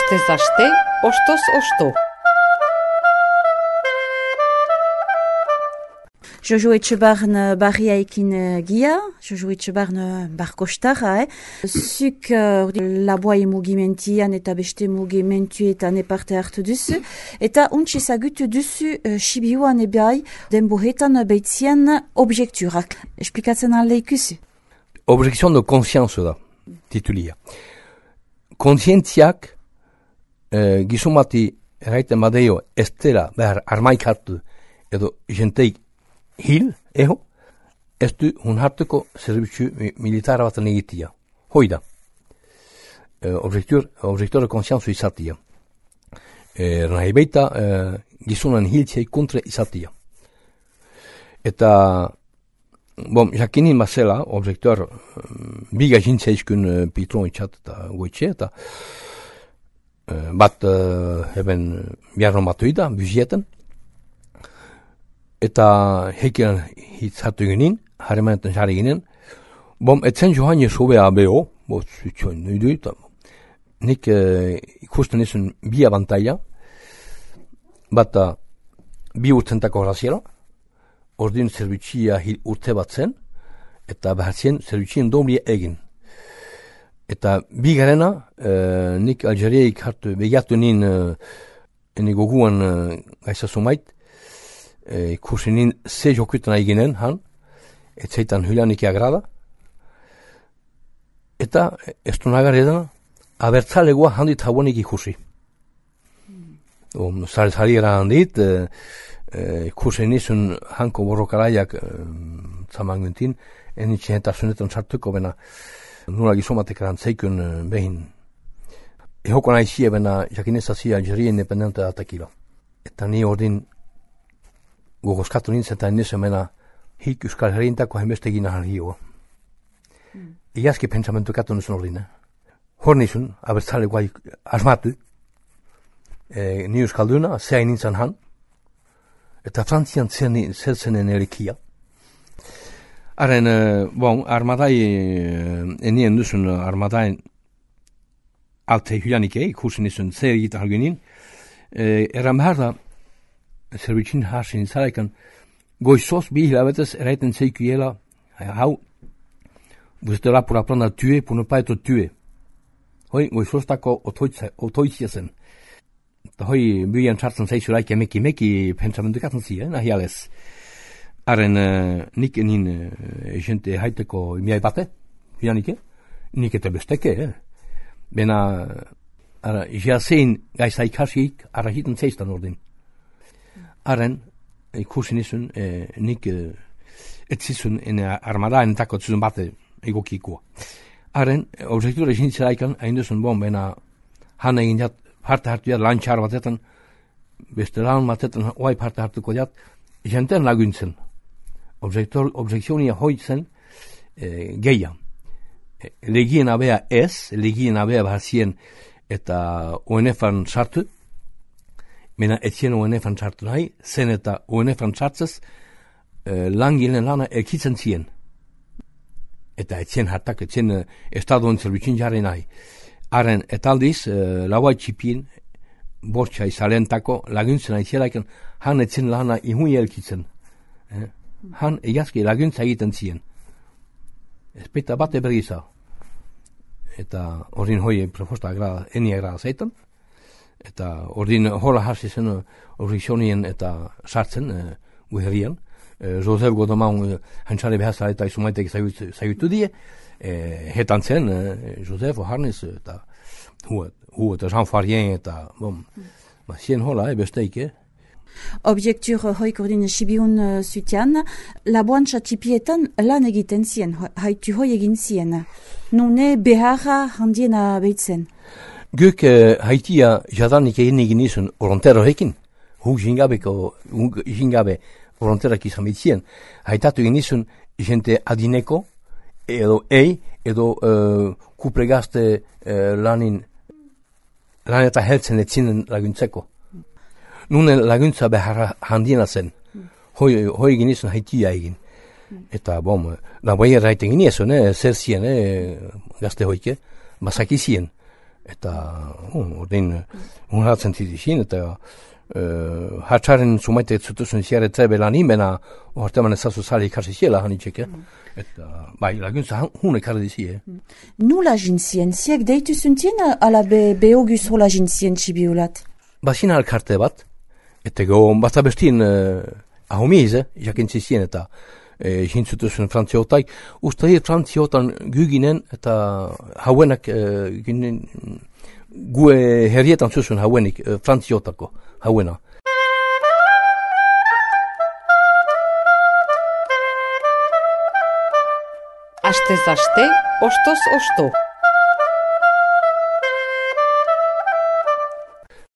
Astez aste, ostoz osto. Jojo Etxebarn barriaekin gia, Jojo Etxebarn barkostarra, Zuk laboai mugimentian eta beste mugimentuetan parte hartu duzu, eta untsi ezagutu duzu Sibiuan ebai denboretan beitzien objekturak. Esplikatzen alde ikusi? Objection de conscience da, titulia. Kontzientziak gizumati erraiten badeio ez dela behar armaik hartu edo jenteik hil, ez du hun hartuko zerbitzu militara bat egitia. Hoi da. Objektor de conscience izatia. Nahi baita gizunan hiltzei kontra izatia. Eta jakinin bazela, objektor biga jintzeizkun pitron itxat eta goitxe, eta bat heben biarron batuida, buzieten, eta hekian hitz hartu ginen, harremanetan jarri ginen, etzen johan jesubea beho, zutxoin nuidu, eta nik ikusten izan bi abantaila, bat bi urtentako graziela, ordin zerbitxia urte bat zen, eta behatzen zerbitxien domlia egin. Eta bi garena, nik Algeriaik hartu begiatu nien ene goguan gaizazumait, ikusi nien ze jokutan eginen, etzaitan hulanik agrada, eta ez du nagar edana, abertzalegoa handit hauanik ikusi. Zari handit, ikusi nizun hanko borrokaraiak zamanguntin, enitxen eta zunetan sartuko bena nula gizomatek erantzeikun behin. Ehoko nahi bena jakinezazia Algeria independente datakila. Eta ni ordin gogozkatu nintzen eta nizen bena hik Euskal Herriintako hainbeste gina hargioa. Iazki pentsamentu katu nizun ordin. Hor nizun, abertzale guai asmatu, ni Euskalduna, zehain nintzen han, eta Frantzian zertzenen erikia. Haren, armadai, enien duzun armadain alte hulanik ikusen izun zer egita halgenin, erran behar da, zerbitxin harsin zaraikan, goizoz bi hilabetez eraiten zeikuela, hau, buztera pura plana tue, puno paeto tue. Hoi, goizoztako otoitzia zen. Eta hoi, bian txartzen zeizuraik meki pentsamentukatzen zi, nahi alez. Haren, nik enin jente haiteko miai bate, hilanike, nik eta besteke, Bena, jazein gaizaik hasiik, arrahiten zeiztan ordin. Haren, ikusin izun, nik etzizun armadaen tako zuzun bate egokikoa. Haren, objektura jintzeraikan, hain duzun bena, han egin jat, parte hartu jat, lantxar batetan, beste lan batetan, oai parte hartuko jat, jenten laguntzen. Objekzionia hoitzen geia. Legien abea ez, legien abea bahazien eta ONF-an sartu, mena etzien ONF-an sartu nahi, zen eta ONF-an sartzez langilen lana elkitzen zien. Eta etzien hartak, etzien estadoen zerbitxin jarri nahi. Haren, etaldiz, lauai txipien, bortxa izalentako laguntzen aizielaiken, han etzien lana ihui elkitzen. Han egazki laguntza egiten zien. Espeta bate bergiza. Eta ordin hoi proposta eni agrada zeitan. Eta ordin hola hasi zen horrizionien eta sartzen guherrian. Josef Godomaun hantzare behazta eta izumaitek zaigutu die. Hetan zen Josef Oharnes eta hu eta Jean Farien eta zien hola besteik, Objektur hoik ordin Sibiun zutian, laboan txatipietan lan egiten zien, haitu hoi egin zien. Nune beharra handiena behitzen. Guk haitia jadanik egin izun orontero hekin, huk jingabe oronterak izan behitzien, haitatu egin izun jente adineko, edo kupregazte lan eta heltzen etzinen laguntzeko. Nune laguntza behar handiena zen. Hoi egin izan haitia egin. Eta laboia erraiten ginen, zer zien, gazte hoike, bazaki zien. eta ordin unhatzen tidizin, eta hatxaren sumaite zutuzun ziaretze belan imena, orteman ezazu zari ikasi ziela hanitxek, eta bai, laguntza hun ekarri dizie. Nula jintzien, ziek deitu zuntien ala behogus hola jintzien txibiolat? Bazina alkarte bat, eta go bat abestin ahomiz, jakintzizien eta jintzutuzun frantziotaik, usta frantziotan guginen eta hauenak ginen, gue herrietan zuzun hauenik frantziotako hauena. Astez aste, ostoz osto.